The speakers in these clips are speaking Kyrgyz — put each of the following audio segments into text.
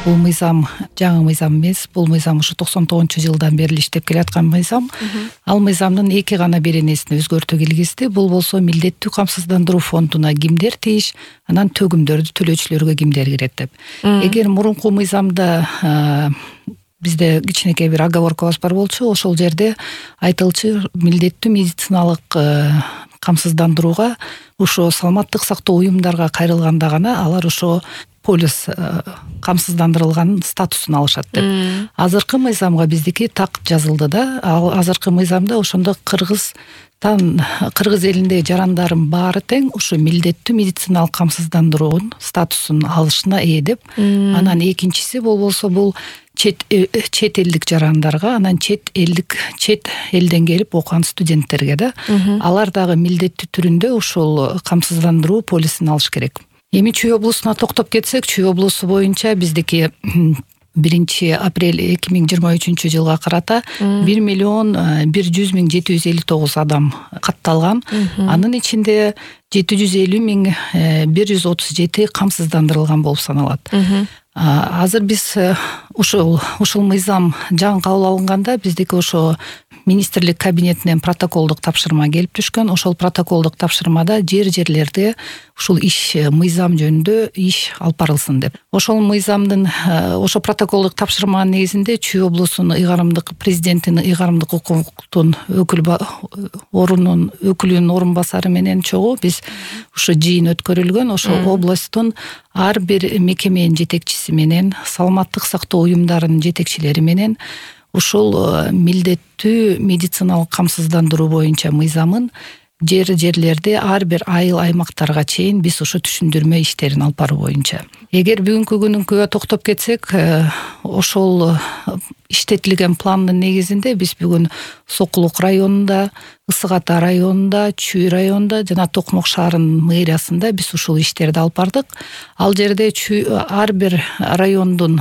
Бул мыйзам жаңы мыйзам эмес, бул мыйзам ушу 99-жылдан бери иштеп келаткан мыйзам. Ал мыйзамдын эки гана беренесине өзгөртүү киргизди. Бул болсо милдеттүү камсыздандыруу фондуна кимдер тийиш, анан төгүмдөрдү төлөөчүлөргө кимдер кирет деп. Эгер мурунку мыйзамда бизде кичинекей бир оговоркабыз бар болчу, ошол жерде айтылчу милдеттүү медициналык камсыздандырууга ошо саламаттык сактоо уюмдарга кайрылганда гана алар ошо полис камсыздандырылган статусун алышат деп. Азыркы мыйзамга биздики так жазылды да. Ал азыркы мыйзамда ошондо кыргыз элиндеги жарандардын баары тең ушу милдеттүү медициналык камсыздандыруунун статусун алышына ээ деп. Анан экинчиси болсо бул чет элдик жарандарга, анан чет элден келип окуган студенттерге да. Алар дагы милдеттүү түрүндө ушул камсыздандыруу полисин алыш керек. Эми Чүй облусуна токтоп кетсек, Чүй облусу боюнча биздики 1-апрель 2023-жылга карата 1,100,759 адам катталган. Анын ичинде 750,137 камсыздандырылган болуп саналат. Азыр биз ушул мыйзам жаңы кабыл алынганда биздики ошо министрлик кабинетинен протоколдук тапшырма келип түшкөн. Ошол протоколдук тапшырмада жерлерде ушул мыйзам жөнүндө иш алып барылсын деп. Ошол мыйзамдын ошо протоколдук тапшырманын негизинде Чүй облусунун президентинин ыйгарымдык укуктун өкүлүнүн орун басары менен чогуу биз ушу жыйын өткөрүлгөн. Ошо областтын ар бир мекеменин жетекчиси менен, саламаттык сактоо уюмдарынын жетекчилери менен ушул милдеттүү медициналык камсыздандыруу боюнча мыйзамын жерлерде ар бир айыл аймактарга чейин биз ушу түшүндүрмө иштерин алып баруу боюнча. Эгер бүгүнкү күнүнкүгө токтоп кетсек, ошол иштетилген пландын негизинде биз бүгүн Сокулук районунда, Ысык Ата районунда, Чүй районунда жана Токмок шаарынын мэриясында биз ушул иштерди алып бардык. Ал жерде ар бир райондун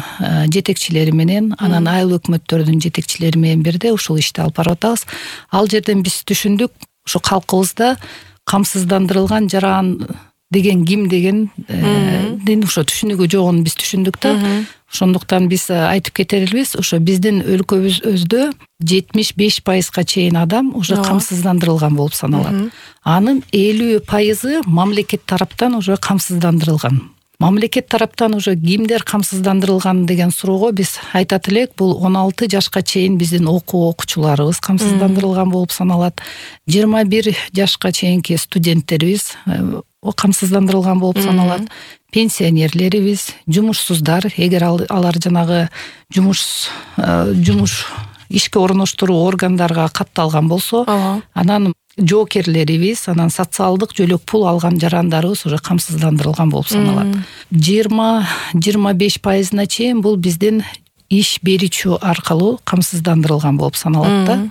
жетекчилери менен, анан айыл өкмөттөрдүн жетекчилери менен бирде ушул ишти алып барып атабыз. Ал жерден биз түшүндүк, ушу калкыбызда камсыздандырылган жаран деген ким дегендин ошо түшүнүгү жогун биз түшүндүк да. Ошондуктан биз айтып кетербиз, ошо биздин өлкөбүздө 75% чейин адам уже камсыздандырылган болуп саналат. Анын 50% мамлекет тараптан уже камсыздандырылган. Мамлекет тараптан уже кимдер камсыздандырылган деген суроого биз айтат элек, бул 16 жашка чейин биздин окуучуларыбыз камсыздандырылган болуп саналат. 21 жашка чейинки студенттерибиз камсыздандырылган болуп саналат. Пенсионерлерибиз, жумушсуздар, эгер алар жанагы жумуш ишке орноштуруу органдарга катталган болсо, анан жоокерлерибиз, анан социалдык жөлөк пул алган жарандарыбыз уже камсыздандырылган болуп саналат. 20-25%на чейин бул биздин иш берүүчү аркылуу камсыздандырылган болуп саналат да.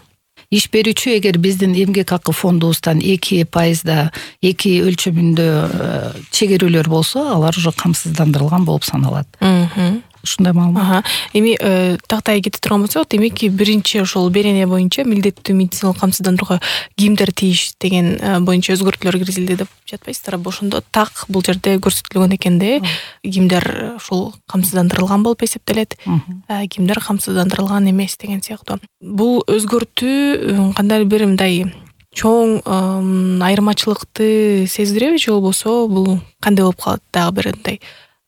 Иш берүүчү эгер биздин эмгек акы фондубуздан 2% 2 өлчөмүндө чегерүүлөр болсо, алар уже камсыздандырылган болуп саналат. Ушундай маалымат. Эми тактай кете турган болсок, демек биринчи ошол берене боюнча милдеттүү медициналык камсыздандырууга кимдер тийиш деген боюнча өзгөртүүлөр киргизилди деп жатпайсыздар. Ошондо так бул жерде көрсөтүлгөн экен да, кимдер ушул камсыздандырылган болуп эсептелет, кимдер камсыздандырылган эмес деген сыяктуу. Бул өзгөртүү кандай бир мындай чоң айырмачылыкты сездиреби же болбосо бул кандай болуп калат? Дагы бир мындай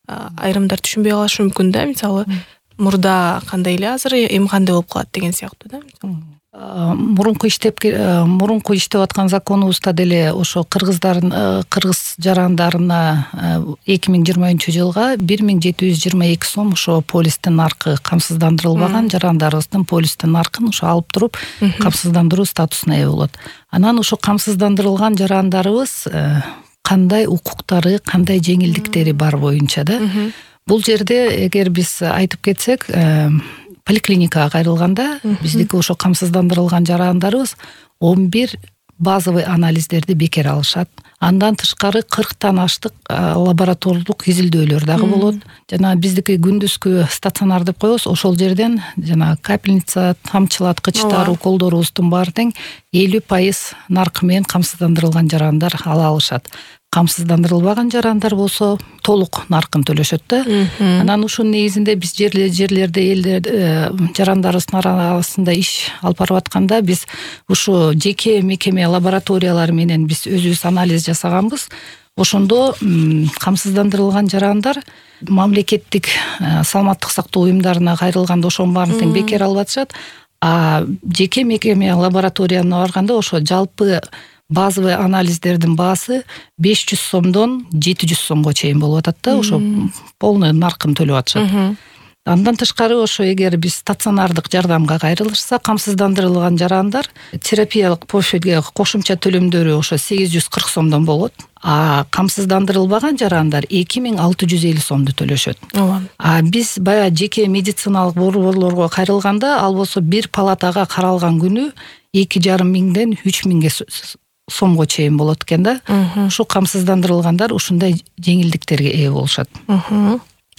айрымдар түшүнбөй калышы мүмкүн да, мисалы мурда кандай эле азыр эми кандай болуп калат деген сыяктуу да. Мурунку иштеп аткан законубузда деле ошо кыргыз жарандарына 2020-жылга 1722 сом ошо полистин наркы камсыздандырылбаган жарандарыбыздын полистин наркын ошо алып туруп камсыздандыруу статусуна ээ болот. Анан ошо камсыздандырылган жарандарыбыз кандай укуктары, кандай жеңилдиктери бар боюнча да. Бул жерде эгер биз айтып кетсек, поликлиникага кайрылганда биздики ошо камсыздандырылган жарандарыбыз 11 базовый анализдерди бекер алышат. Андан тышкары 40тан аштык лаборатордук изилдөөлөр дагы болот. Жана биздики күндүзгү стационар деп коебуз, ошол жерден жана капельница, тамчылаткычтар, уколдорубуздун баары тең 50% наркы менен камсыздандырылган жарандар ала алышат. камсыздандырылбаган жарандар болсо толук наркын төлөшөт да. Анан ушунун негизинде биз жерлерде жарандарыбыздын арасында иш алып барып атканда биз ушу жеке мекеме лабораториялары менен биз өзүбүз анализ жасаганбыз. Ошондо камсыздандырылган жарандар мамлекеттик саламаттык сактоо уюмдарына кайрылганда ошонун баарын тең бекер алып атышат. А жеке мекеме лабораторияна барганда ошо жалпы базовый анализдердин баасы 500 сомдон 700 сомго чейин болуп атат да, ошо полный наркын төлөп атышат. Андан тышкары ошо эгер биз стационардык жардамга кайрылышса, камсыздандырылган жарандар терапиялык профилге кошумча төлөмдөрү ошо 840 сомдон болот. А камсыздандырылбаган жарандар 2650 сомду төлөшөт. А биз баягы жеке медициналык борборлорго кайрылганда, ал болсо бир палатага каралган күнү 2,5 миңден 3 миңге сомго чейин болот экен да. Ушу камсыздандырылгандар ушундай жеңилдиктерге ээ болушат.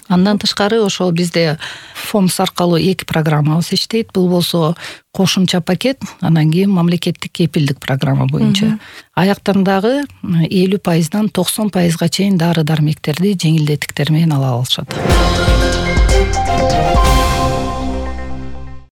Андан тышкары ошол бизде ФОМС аркылуу 2 программабыз иштейт. Бул болсо кошумча пакет, анан кийин мамлекеттик кепилдик программа боюнча. Аяктан дагы 50%дан 90%га чейин дары дармектерди жеңилдетиктер менен ала алышат.